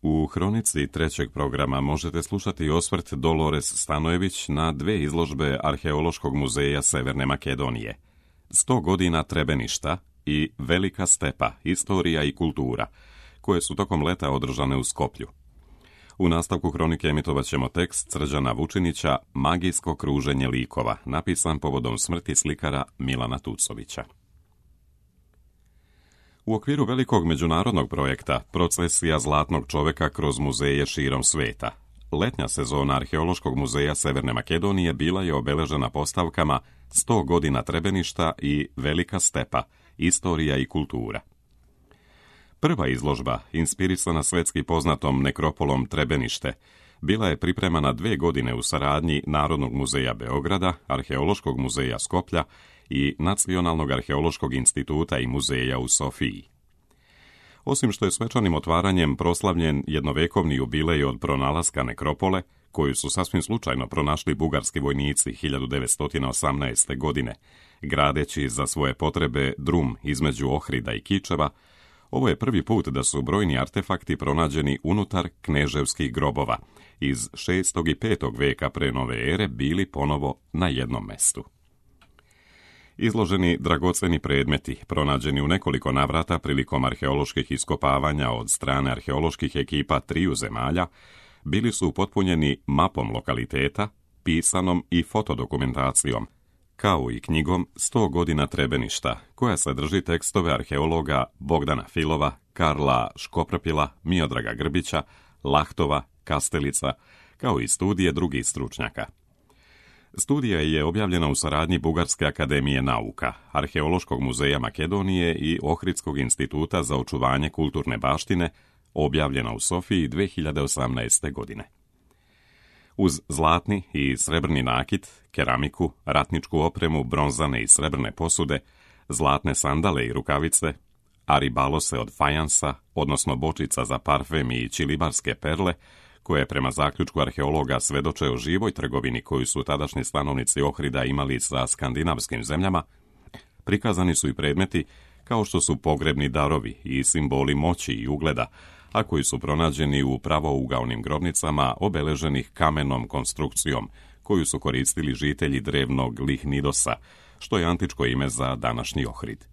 U hronici trećeg programa možete slušati osvrt Dolores Stanojević na dve izložbe Arheološkog muzeja Severne Makedonije. 100 godina Trebeništa i Velika stepa, istorija i kultura, koje su tokom leta održane u Skoplju. U nastavku hronike emitovat ćemo tekst Srđana Vučinića Magijsko kruženje likova, napisan povodom smrti slikara Milana Tucovića. U okviru velikog međunarodnog projekta Procesija zlatnog čoveka kroz muzeje širom sveta, letnja sezona Arheološkog muzeja Severne Makedonije bila je obeležena postavkama 100 godina Trebeništa i Velika stepa, istorija i kultura. Prva izložba, inspirisana svetski poznatom nekropolom Trebenište, bila je pripremana 2 godine u saradnji Narodnog muzeja Beograda, Arheološkog muzeja Skoplja i Nacionalnog arheološkog instituta i muzeja u Sofiji. Osim što je svečanim otvaranjem proslavljen jednovekovni jubilej od pronalaska nekropole, koju su sasvim slučajno pronašli bugarski vojnici 1918. godine, gradeći za svoje potrebe drum između Ohrida i Kičeva, ovo je prvi put da su brojni artefakti pronađeni unutar kneževskih grobova iz 6. i 5. veka pre nove ere bili ponovo na jednom mestu. Izloženi dragoceni predmeti, pronađeni u nekoliko navrata prilikom arheoloških iskopavanja od strane arheoloških ekipa 3 zemalja, bili su upotpunjeni mapom lokaliteta, pisanom i fotodokumentacijom, kao i knjigom 100 godina Trebeništa, koja sadrži tekstove arheologa Bogdana Filova, Karla Škoprpila, Miodraga Grbića, Lahtova, Kastelica, kao i studije drugih stručnjaka. Studija je objavljena u saradnji Bugarske akademije nauka, Arheološkog muzeja Makedonije i Ohridskog instituta za očuvanje kulturne baštine, objavljena u Sofiji 2018. godine. Uz zlatni i srebrni nakit, keramiku, ratničku opremu, bronzane i srebrne posude, zlatne sandale i rukavice, aribalose od fajansa, odnosno bočica za parfem i čilibarske perle, koje prema zaključku arheologa svedoče o živoj trgovini koju su tadašnji stanovnici Ohrida imali sa skandinavskim zemljama, prikazani su i predmeti kao što su pogrebni darovi i simboli moći i ugleda, a koji su pronađeni u pravougaonim grobnicama obeleženih kamenom konstrukcijom, koju su koristili žitelji drevnog Lihnidosa, što je antičko ime za današnji Ohrid.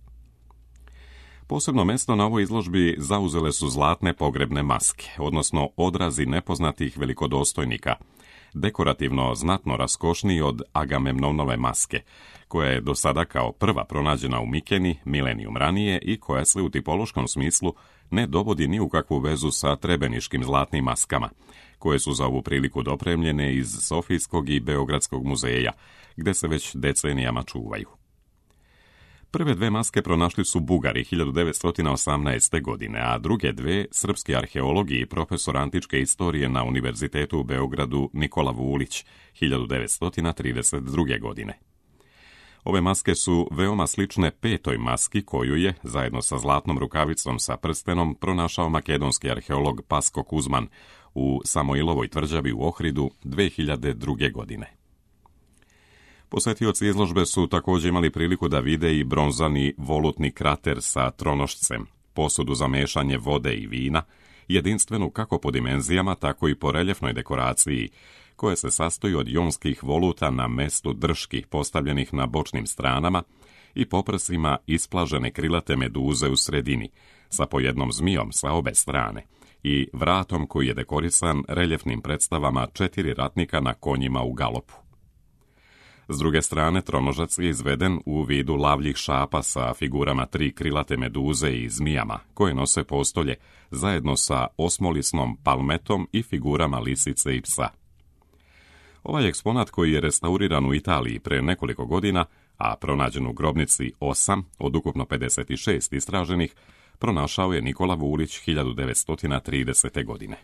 Posebno mesto na ovoj izložbi zauzele su zlatne pogrebne maske, odnosno odrazi nepoznatih velikodostojnika, dekorativno znatno raskošniji od Agamemnonove maske, koja je do sada kao prva pronađena u Mikeni milenijum ranije i koja se u tipološkom smislu ne dovodi ni u kakvu vezu sa trebeniškim zlatnim maskama, koje su za ovu priliku dopremljene iz Sofijskog i Beogradskog muzeja, gde se već decenijama čuvaju. Prve 2 maske pronašli su Bugari 1918. godine, a druge 2 srpski arheologi i profesor antičke istorije na Univerzitetu u Beogradu Nikola Vulić 1932. godine. Ove maske su veoma slične 5. maski koju je, zajedno sa zlatnom rukavicom sa prstenom, pronašao makedonski arheolog Pasko Kuzman u Samojlovoj tvrđavi u Ohridu 2002. godine. Posetioci izložbe su također imali priliku da vide i bronzani volutni krater sa tronošcem, posudu za mešanje vode i vina, jedinstvenu kako po dimenzijama, tako i po reljefnoj dekoraciji, koje se sastoji od jonskih voluta na mestu drški postavljenih na bočnim stranama i poprsima isplažene krilate meduze u sredini, sa po jednom zmijom sa obe strane i vratom koji je dekorisan reljefnim predstavama 4 ratnika na konjima u galopu. S druge strane, tronožac je izveden u vidu lavljih šapa sa figurama 3 krilate meduze i zmijama, koje nose postolje, zajedno sa osmolisnom palmetom i figurama lisice i psa. Ovaj eksponat, koji je restauriran u Italiji pre nekoliko godina, a pronađen u grobnici 8 od ukupno 56 istraženih, pronašao je Nikola Vulić 1930. godine.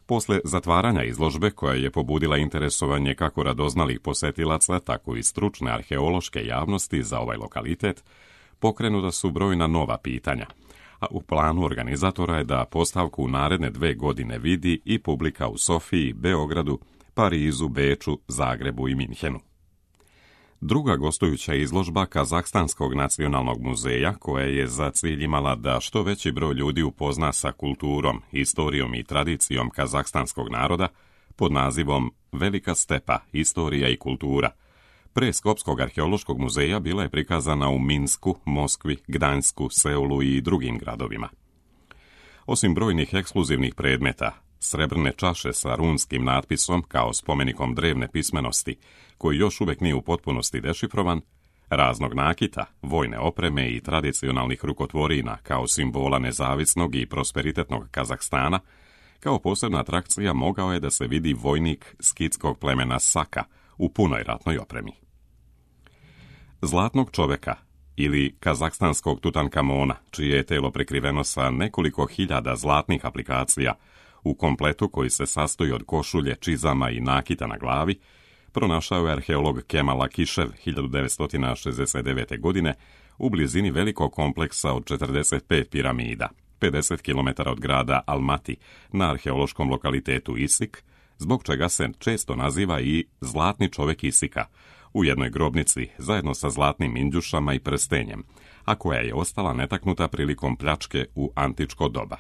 Posle zatvaranja izložbe, koja je pobudila interesovanje kako radoznalih posetilaca, tako i stručne arheološke javnosti za ovaj lokalitet, pokrenuta su brojna nova pitanja, a u planu organizatora je da postavku u naredne 2 godine vidi i publika u Sofiji, Beogradu, Parizu, Beču, Zagrebu i Minhenu. Druga gostujuća izložba Kazahstanskog nacionalnog muzeja, koja je za cilj imala da što veći broj ljudi upozna sa kulturom, historijom i tradicijom kazahstanskog naroda, pod nazivom Velika stepa, istorija i kultura, pre Skopskog arheološkog muzeja bila je prikazana u Minsku, Moskvi, Gdansku, Seulu i drugim gradovima. Osim brojnih ekskluzivnih predmeta, srebrne čaše sa runskim natpisom kao spomenikom drevne pismenosti, koji još uvijek nije u potpunosti dešifrovan, raznog nakita, vojne opreme i tradicionalnih rukotvorina kao simbola nezavisnog i prosperitetnog Kazahstana, kao posebna atrakcija mogao je da se vidi vojnik skitskog plemena Saka u punoj ratnoj opremi. Zlatnog čoveka ili kazahstanskog Tutankamona, čije je telo prekriveno sa nekoliko hiljada zlatnih aplikacija u kompletu koji se sastoji od košulje, čizama i nakita na glavi, pronašao je arheolog Kemal Akishev 1969. godine u blizini velikog kompleksa od 45 piramida, 50 km od grada Almati, na arheološkom lokalitetu Isik, zbog čega se često naziva i Zlatni čovek Isika, u jednoj grobnici zajedno sa zlatnim indjušama i prstenjem, a koja je ostala netaknuta prilikom pljačke u antičko doba.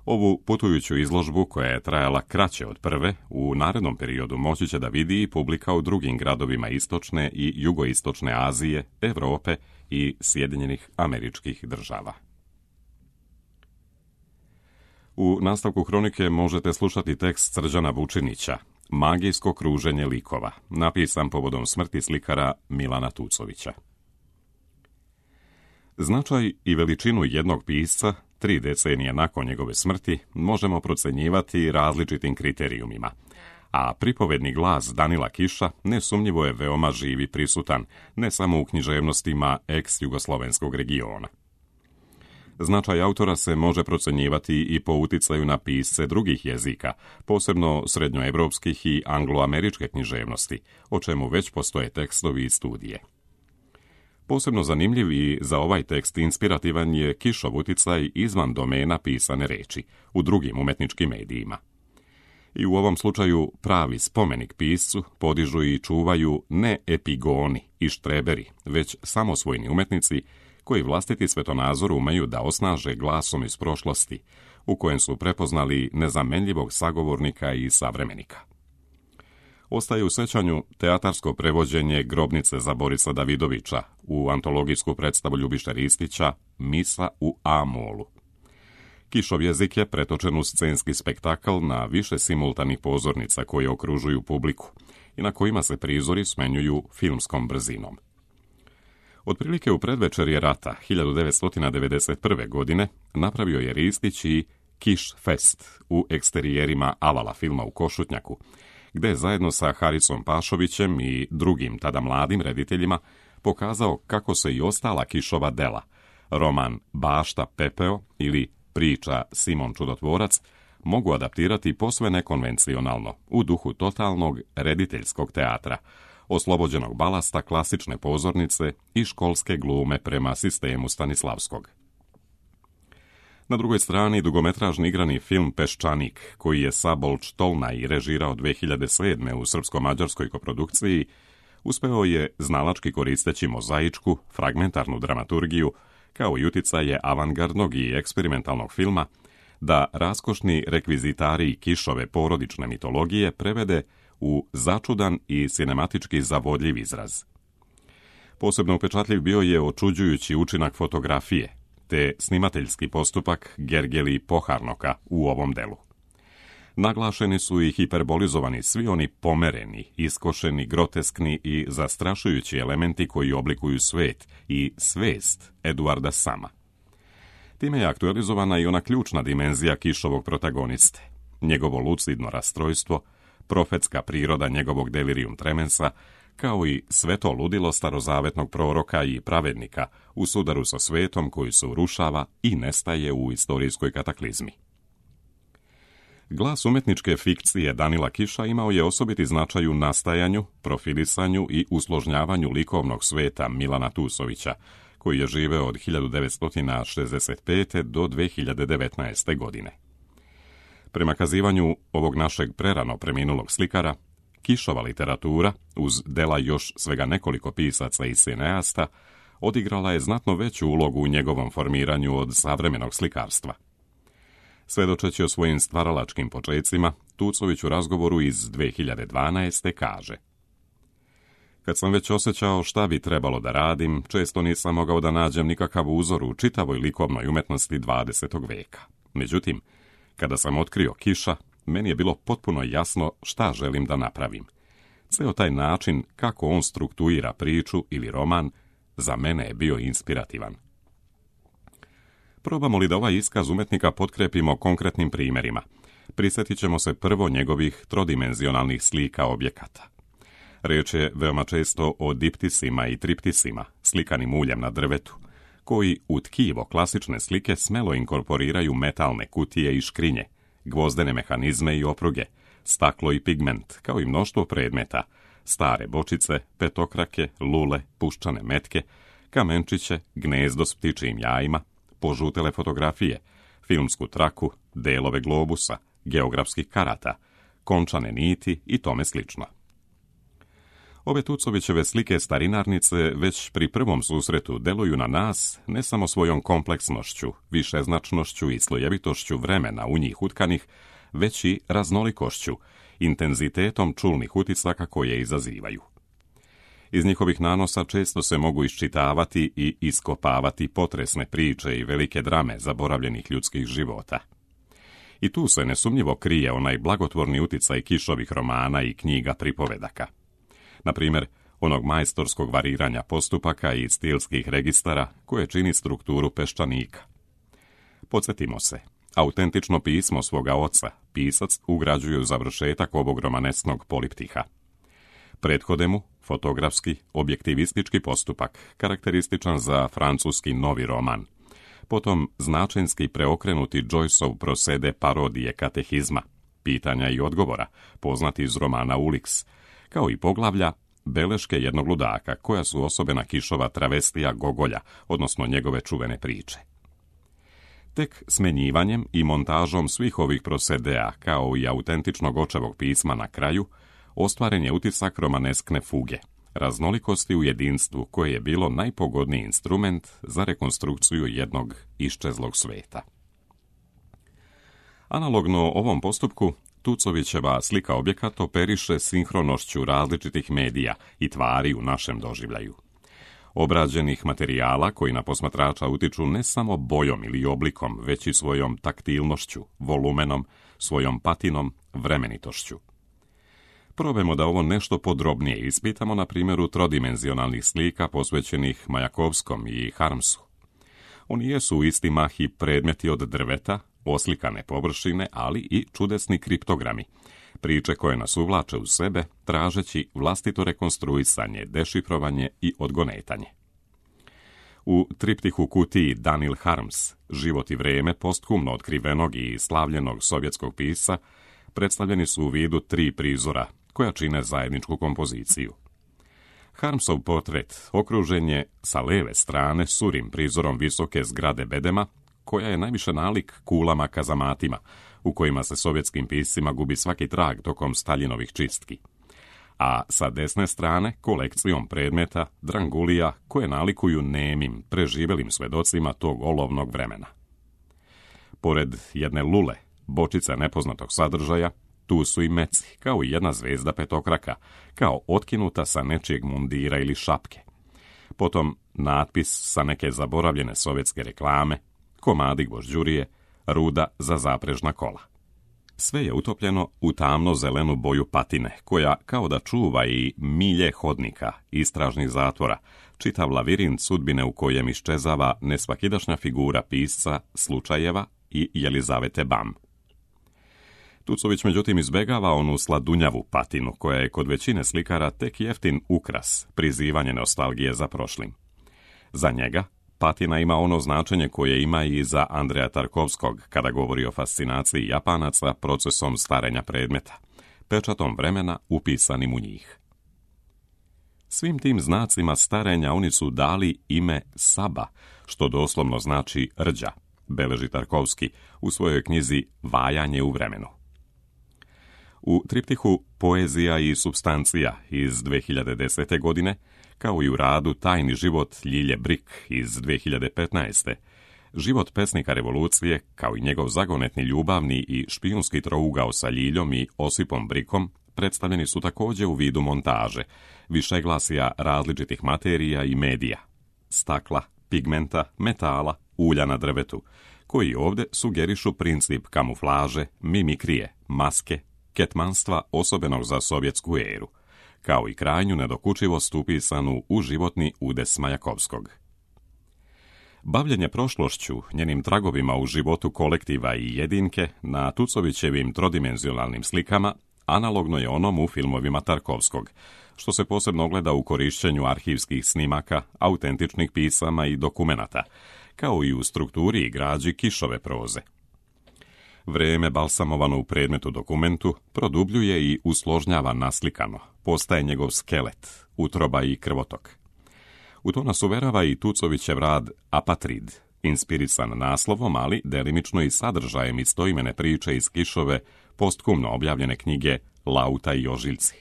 Ovu putujuću izložbu, koja je trajala kraće od prve, u narednom periodu moći će da vidi i publika u drugim gradovima istočne i jugoistočne Azije, Evrope i Sjedinjenih Američkih Država. U nastavku hronike možete slušati tekst Srđana Vučinića, Magijsko kruženje likova, napisan povodom smrti slikara Milana Tucovića. Značaj i veličinu jednog pisca 3 decenije nakon njegove smrti možemo procenjivati različitim kriterijumima, a pripovedni glas Danila Kiša nesumnjivo je veoma živ i prisutan, ne samo u književnostima ex-jugoslovenskog regiona. Značaj autora se može procenjivati i po uticaju na pisce drugih jezika, posebno srednjoevropskih i angloameričke književnosti, o čemu već postoje tekstovi i studije. Posebno zanimljiv i za ovaj tekst inspirativan je Kišov uticaj izvan domena pisane reči, u drugim umetničkim medijima. I u ovom slučaju pravi spomenik piscu podižu i čuvaju ne epigoni i štreberi, već samosvojni umetnici koji vlastiti svetonazor umeju da osnaže glasom iz prošlosti, u kojem su prepoznali nezamenljivog sagovornika i savremenika. Ostaje u sećanju teatarsko prevođenje Grobnice za Borisa Davidovića u antologijsku predstavu Ljubiše Ristića Misa u A-molu. Kišov jezik je pretočen u scenski spektakl na više simultanih pozornica koje okružuju publiku i na kojima se prizori smenjuju filmskom brzinom. Otprilike u predvečerje rata 1991. godine napravio je Ristić i Kiš Fest u eksterijerima Avala filma u Košutnjaku, gde je zajedno sa Harisom Pašovićem i drugim tada mladim rediteljima pokazao kako se i ostala Kišova dela, roman Bašta Pepeo ili priča Simon Čudotvorac, mogu adaptirati posve nekonvencionalno, u duhu totalnog rediteljskog teatra, oslobođenog balasta klasične pozornice i školske glume prema sistemu Stanislavskog. Na drugoj strani dugometražni igrani film Peščanik, koji je Sabolč Tolnaj režirao 2007. u srpsko-mađarskoj koprodukciji, uspeo je, znalački koristeći mozaičku, fragmentarnu dramaturgiju, kao i uticaje avangardnog i eksperimentalnog filma, da raskošni rekvizitari Kišove porodične mitologije prevede u začudan i sinematički zavodljiv izraz. Posebno upečatljiv bio je očuđujući učinak fotografije, te snimateljski postupak Gergely Poharnoka u ovom delu. Naglašeni su i hiperbolizovani svi oni pomereni, iskošeni, groteskni i zastrašujući elementi koji oblikuju svet i svest Eduarda Sama. Time je aktualizovana i ona ključna dimenzija Kišovog protagoniste, njegovo lucidno rastrojstvo, profetska priroda njegovog delirium tremensa, kao i sve to ludilo starozavetnog proroka i pravednika u sudaru sa svetom koji se urušava i nestaje u istorijskoj kataklizmi. Glas umetničke fikcije Danila Kiša imao je osobiti značaj u nastajanju, profilisanju i usložnjavanju likovnog sveta Milana Tucovića, koji je živeo od 1965. do 2019. godine. Prema kazivanju ovog našeg prerano preminulog slikara, Kišova literatura, uz dela još svega nekoliko pisaca i sineasta, odigrala je znatno veću ulogu u njegovom formiranju od savremenog slikarstva. Svedočeći o svojim stvaralačkim počecima, Tucović u razgovoru iz 2012. kaže: Kad sam već osjećao šta bi trebalo da radim, često nisam mogao da nađem nikakav uzor u čitavoj likovnoj umetnosti 20. veka. Međutim, kada sam otkrio Kiša, meni je bilo potpuno jasno šta želim da napravim. Ceo taj način kako on struktuira priču ili roman, za mene je bio inspirativan. Probamo li da ovaj iskaz umetnika potkrepimo konkretnim primjerima? Prisjetit ćemo se prvo njegovih trodimenzionalnih slika objekata. Riječ je veoma često o diptisima i triptisima, slikanim uljem na drvetu, koji u tkivo klasične slike smelo inkorporiraju metalne kutije i škrinje, gvozdene mehanizme i opruge, staklo i pigment, kao i mnoštvo predmeta, stare bočice, petokrake, lule, puščane metke, kamenčiće, gnezdo s ptičijim jajima, požutele fotografije, filmsku traku, delove globusa, geografskih karata, končane niti i tome slično. Ove Tucovićeve slike starinarnice već pri prvom susretu deluju na nas ne samo svojom kompleksnošću, višeznačnošću i slojevitošću vremena u njih utkanih, već i raznolikošću, intenzitetom čulnih utisaka koje izazivaju. Iz njihovih nanosa često se mogu iščitavati i iskopavati potresne priče i velike drame zaboravljenih ljudskih života. I tu se nesumnjivo krije onaj blagotvorni uticaj Kišovih romana i knjiga pripovedaka. Na primjer, onog majstorskog variranja postupaka i stilskih registara koje čini strukturu peščanika. Podsjetimo se, autentično pismo svoga oca pisac ugrađuje u završetak ovog romanesknog poliptiha. Prethode mu fotografski, objektivistički postupak, karakterističan za francuski novi roman. Potom značenski preokrenuti Joyceov prosede parodije katehizma, pitanja i odgovora, poznati iz romana Ulix, kao i poglavlja beleške jednog ludaka, koja su osobena Kišova travestija Gogolja, odnosno njegove čuvene priče. Tek smenjivanjem i montažom svih ovih prosedea, kao i autentičnog očevog pisma na kraju, ostvaren je utisak romaneskne fuge, raznolikosti u jedinstvu koje je bilo najpogodniji instrument za rekonstrukciju jednog iščezlog sveta. Analogno ovom postupku, Tucovićeva slika objekat operiše sinhronošću različitih medija i tvari u našem doživljaju. Obrađenih materijala koji na posmatrača utiču ne samo bojom ili oblikom, već i svojom taktilnošću, volumenom, svojom patinom, vremenitošću. Probajmo da ovo nešto podrobnije ispitamo na primjeru trodimenzionalnih slika posvećenih Majakovskom i Harmsu. Oni jesu u isti mah i predmeti od drveta, oslikane površine, ali i čudesni kriptogrami, priče koje nas uvlače u sebe, tražeći vlastito rekonstruisanje, dešifrovanje i odgonetanje. U triptihu kutiji Daniel Harms, Život i vreme posthumno otkrivenog i slavljenog sovjetskog pisca, predstavljeni su u vidu 3 prizora, koja čine zajedničku kompoziciju. Harmsov portret okružen je sa leve strane surim prizorom visoke zgrade bedema, koja je najviše nalik kulama kazamatima, u kojima se sovjetskim piscima gubi svaki trag tokom Staljinovih čistki. A sa desne strane kolekcijom predmeta, drangulija, koje nalikuju nemim, preživelim svedocima tog olovnog vremena. Pored jedne lule, bočice nepoznatog sadržaja, tu su i meci, kao i jedna zvezda petokraka, kao otkinuta sa nečijeg mundira ili šapke. Potom natpis sa neke zaboravljene sovjetske reklame, komadi gvožđurije, ruda za zaprežna kola. Sve je utopljeno u tamno-zelenu boju patine, koja kao da čuva i milje hodnika, istražnih zatvora, čitav lavirint sudbine u kojem iščezava nesvakidašnja figura pisca Slučajeva i Jelizavete Bam. Tucović međutim izbegava onu sladunjavu patinu, koja je kod većine slikara tek jeftin ukras, prizivanje nostalgije za prošlim. Za njega patina ima ono značenje koje ima i za Andreja Tarkovskog kada govori o fascinaciji Japanaca procesom starenja predmeta, pečatom vremena upisanim u njih. Svim tim znacima starenja oni su dali ime Saba, što doslovno znači rđa, beleži Tarkovski u svojoj knjizi Vajanje u vremenu. U triptihu Poezija i supstancija iz 2010. godine, kao i u radu Tajni život Ljilje Brik iz 2015. Život pesnika revolucije, kao i njegov zagonetni ljubavni i špijunski trougao sa Ljiljom i Osipom Brikom, predstavljeni su također u vidu montaže, višeglasija različitih materija i medija, stakla, pigmenta, metala, ulja na drvetu, koji ovdje sugerišu princip kamuflaže, mimikrije, maske, ketmanstva osobenog za sovjetsku eru, kao i krajnju nedokučivost upisanu u životni udes Majakovskog. Bavljenje prošlošću, njenim tragovima u životu kolektiva i jedinke na Tucovićevim trodimenzionalnim slikama analogno je onom u filmovima Tarkovskog, što se posebno ogleda u korišćenju arhivskih snimaka, autentičnih pisama i dokumenata, kao i u strukturi i građi Kišove proze. Vrijeme balsamovano u predmetu dokumentu produbljuje i usložnjava naslikano, postaje njegov skelet, utroba i krvotok. U to nas uverava i Tucovićev rad Apatrid, inspirisan naslovom, ali delimično i sadržajem istoimene priče iz Kišove, postkumno objavljene knjige Lauta i ožiljci.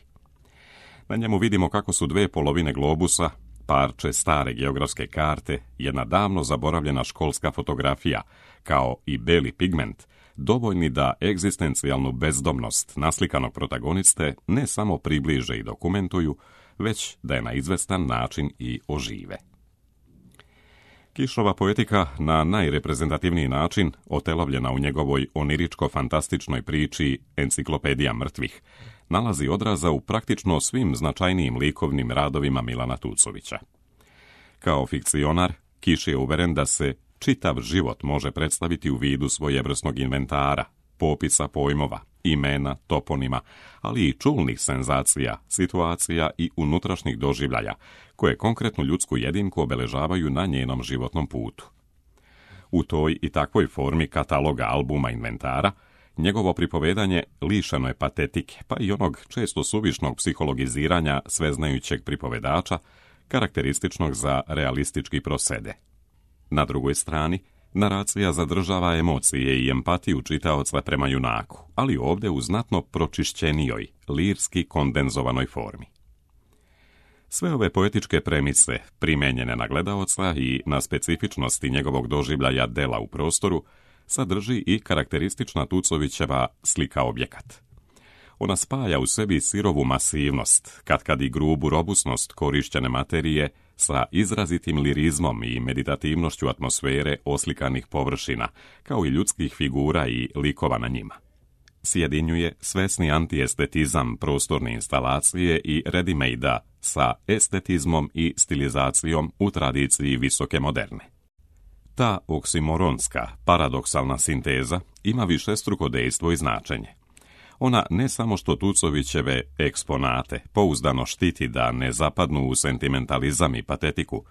Na njemu vidimo kako su dve polovine globusa, parče stare geografske karte, jedna davno zaboravljena školska fotografija, kao i beli pigment, dovoljni da egzistencijalnu bezdomnost naslikanog protagoniste ne samo približe i dokumentuju, već da je na izvestan način i ožive. Kišova poetika na najreprezentativniji način, otelovljena u njegovoj oniričko-fantastičnoj priči Enciklopedija mrtvih, nalazi odraza u praktično svim značajnijim likovnim radovima Milana Tucovića. Kao fikcionar, Kiš je uveren da se čitav život može predstaviti u vidu svojevrsnog inventara, popisa pojmova, imena, toponima, ali i čulnih senzacija, situacija i unutrašnjih doživljaja, koje konkretnu ljudsku jedinku obeležavaju na njenom životnom putu. U toj i takvoj formi kataloga albuma inventara, njegovo pripovedanje lišeno je patetike, pa i onog često suvišnog psihologiziranja sveznajućeg pripovedača, karakterističnog za realistički prosede. Na drugoj strani, naracija zadržava emocije i empatiju čitaoca prema junaku, ali ovdje u znatno pročišćenijoj, lirski kondenzovanoj formi. Sve ove poetičke premise, primenjene na gledaoca i na specifičnosti njegovog doživljaja dela u prostoru, sadrži i karakteristična Tucovićeva slika objekat. Ona spaja u sebi sirovu masivnost, katkad i grubu robusnost korišćene materije sa izrazitim lirizmom i meditativnošću atmosfere oslikanih površina, kao i ljudskih figura i likova na njima. Sjedinjuje svesni antiestetizam prostorne instalacije i ready-made-a sa estetizmom i stilizacijom u tradiciji visoke moderne. Ta oksimoronska, paradoksalna sinteza ima višestruko dejstvo i značenje. Ona ne samo što Tucovićeve eksponate pouzdano štiti da ne zapadnu u sentimentalizam i patetiku,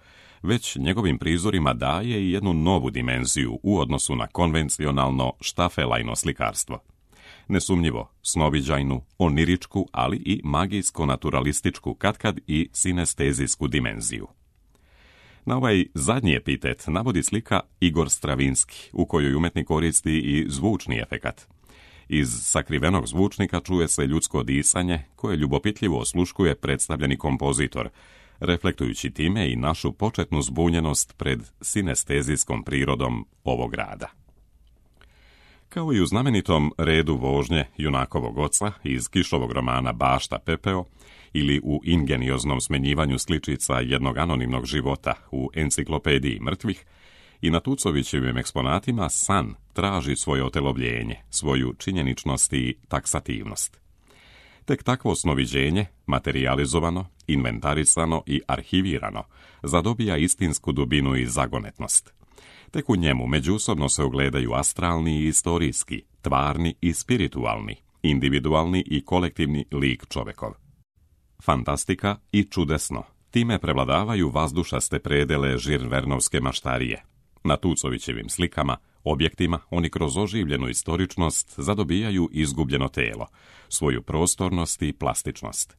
već njegovim prizorima daje i jednu novu dimenziju u odnosu na konvencionalno štafelajno slikarstvo. Nesumnjivo, snoviđajnu, oniričku, ali i magijsko-naturalističku, katkad i sinestezijsku dimenziju. Na ovaj zadnji epitet navodi slika Igor Stravinski, u kojoj umetnik koristi i zvučni efekat. Iz sakrivenog zvučnika čuje se ljudsko disanje, koje ljubopitljivo osluškuje predstavljeni kompozitor, reflektujući time i našu početnu zbunjenost pred sinestezijskom prirodom ovog rada. Kao i u znamenitom redu vožnje junakovog oca iz Kišovog romana Bašta Pepeo ili u ingenioznom smenjivanju sličica jednog anonimnog života u Enciklopediji mrtvih, i na Tucovićevim eksponatima san traži svoje otelovljenje, svoju činjeničnost i taksativnost. Tek takvo snoviđenje, materializovano, inventarisano i arhivirano, zadobija istinsku dubinu i zagonetnost. Tek u njemu međusobno se ogledaju astralni i istorijski, tvarni i spiritualni, individualni i kolektivni lik čovekov. Fantastika i čudesno, time prevladavaju vazdušaste predele žirvernovske maštarije. Na Tucovićevim slikama, objektima, oni kroz oživljenu istoričnost zadobijaju izgubljeno telo, svoju prostornost i plastičnost.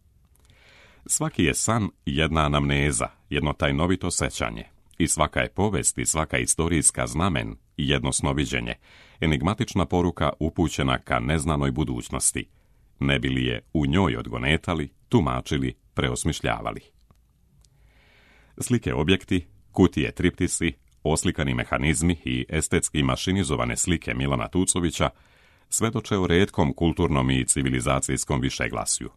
Svaki je san jedna anamneza, jedno tajnovito sećanje, i svaka je povest i svaka istorijska znamen jedno snoviđenje, enigmatična poruka upućena ka neznanoj budućnosti. ne bi li je u njoj odgonetali, tumačili, preosmišljavali. Slike objekti, kutije triptisi, oslikani mehanizmi i estetski mašinizovane slike Milana Tucovića svedoče o retkom kulturnom i civilizacijskom višeglasju.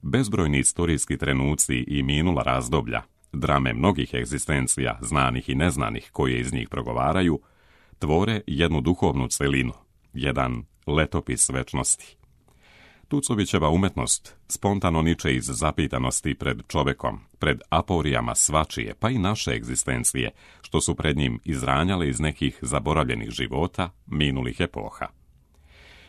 Bezbrojni istorijski trenuci i minula razdoblja, drame mnogih egzistencija, znanih i neznanih koje iz njih progovaraju, tvore jednu duhovnu celinu, jedan letopis večnosti. Tucovićeva umetnost spontano niče iz zapitanosti pred čovekom, pred aporijama svačije, pa i naše egzistencije, što su pred njim izranjale iz nekih zaboravljenih života, minulih epoha.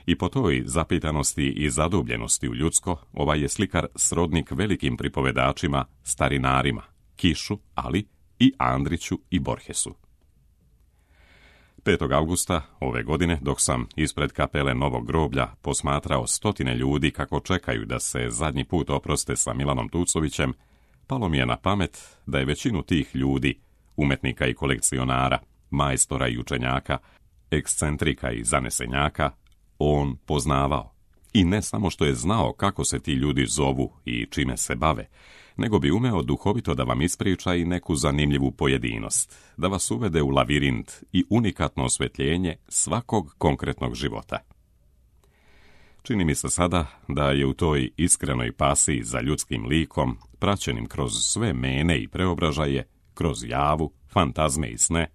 I po toj zapitanosti i zadubljenosti u ljudsko, ovaj je slikar srodnik velikim pripovedačima, starinarima, Kišu, ali i Andriću i Borhesu. 5. augusta ove godine, dok sam ispred kapele Novog groblja posmatrao stotine ljudi kako čekaju da se zadnji put oproste sa Milanom Tucovićem, palo mi je na pamet da je većinu tih ljudi, umetnika i kolekcionara, majstora i učenjaka, ekscentrika i zanesenjaka, on poznavao. I ne samo što je znao kako se ti ljudi zovu i čime se bave, nego bi umeo duhovito da vam ispriča i neku zanimljivu pojedinost, da vas uvede u lavirint i unikatno osvetljenje svakog konkretnog života. Čini mi se sada da je u toj iskrenoj pasiji za ljudskim likom, praćenim kroz sve mene i preobražaje, kroz javu, fantazme i sne,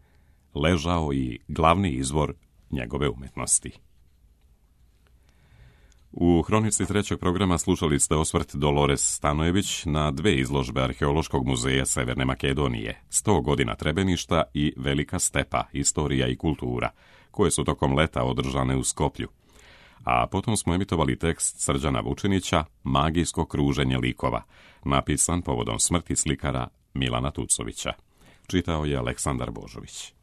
ležao i glavni izvor njegove umetnosti. U hronici 3. programa slušali ste osvrt Dolores Stanojević na 2 izložbe Arheološkog muzeja Severne Makedonije, 100 godina Trebeništa i Velika stepa, istorija i kultura, koje su tokom leta održane u Skoplju. A potom smo emitovali tekst Srđana Vučinića Magijsko kruženje likova, napisan povodom smrti slikara Milana Tucovića. Čitao je Aleksandar Božović.